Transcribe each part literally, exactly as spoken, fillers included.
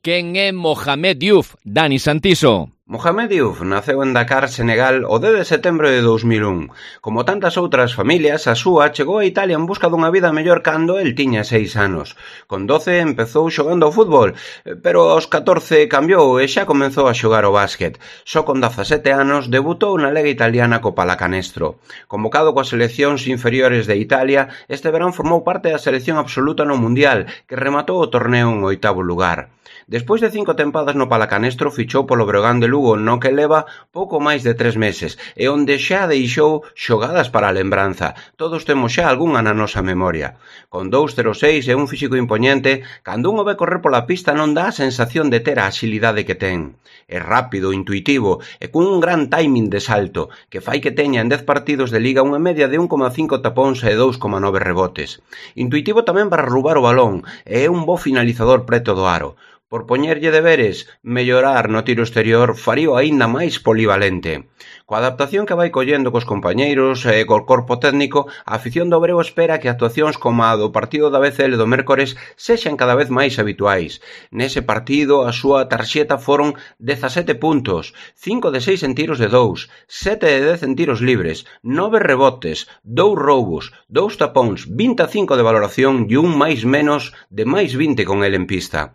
Quen é Mohamed Diouf, Dani Santiso? Mohamed Diouf naceu en Dakar, Senegal, o dez de setembro de dous mil un. Como tantas outras familias, a súa chegou a Italia en busca dunha vida mellor cando el tiña seis anos. Con doce empezou xogando ao fútbol, pero aos catorce cambiou e xa comenzou a xogar o básquet. Só con dezasete anos debutou na Liga Italiana co Pallacanestro. Convocado coas seleccións inferiores de Italia, este verán formou parte da selección absoluta no Mundial, que rematou o torneo en oitavo lugar. Despois de cinco tempadas no Pallacanestro, fichou polo Breogán de Lugo, no que leva pouco máis de tres meses, e onde xa deixou xogadas para a lembranza. Todos temos xa algunha na nosa memoria. Con dous cero seis e un físico impoñente, cando un o ve correr pola pista non dá a sensación de ter a axilidade que ten. É rápido, intuitivo, e cun un gran timing de salto, que fai que teña en dez partidos de liga unha media de un coma cinco tapóns e dous coma nove rebotes. Intuitivo tamén para roubar o balón, e é un bo finalizador preto do aro. Por poñerlle deberes, mellorar no tiro exterior farío aínda máis polivalente. Coa adaptación que vai collendo cos compañeiros e co corpo técnico, a afición do Breo espera que actuacións como a do partido da B C L do mércores sexan cada vez máis habituais. Nese partido, a súa tarxeta foron dezasete puntos, cinco de seis en tiros de dous, sete de dez en tiros libres, nove rebotes, dous roubos, dous tapóns, vinte e cinco de valoración e un máis menos de máis vinte con el en pista.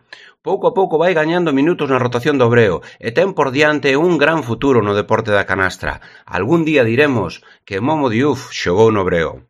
Pouco a pouco vai gañando minutos na rotación do Breo e ten por diante un gran futuro no deporte da canastra. Algún día diremos que Momo Diouf xogou no Breo.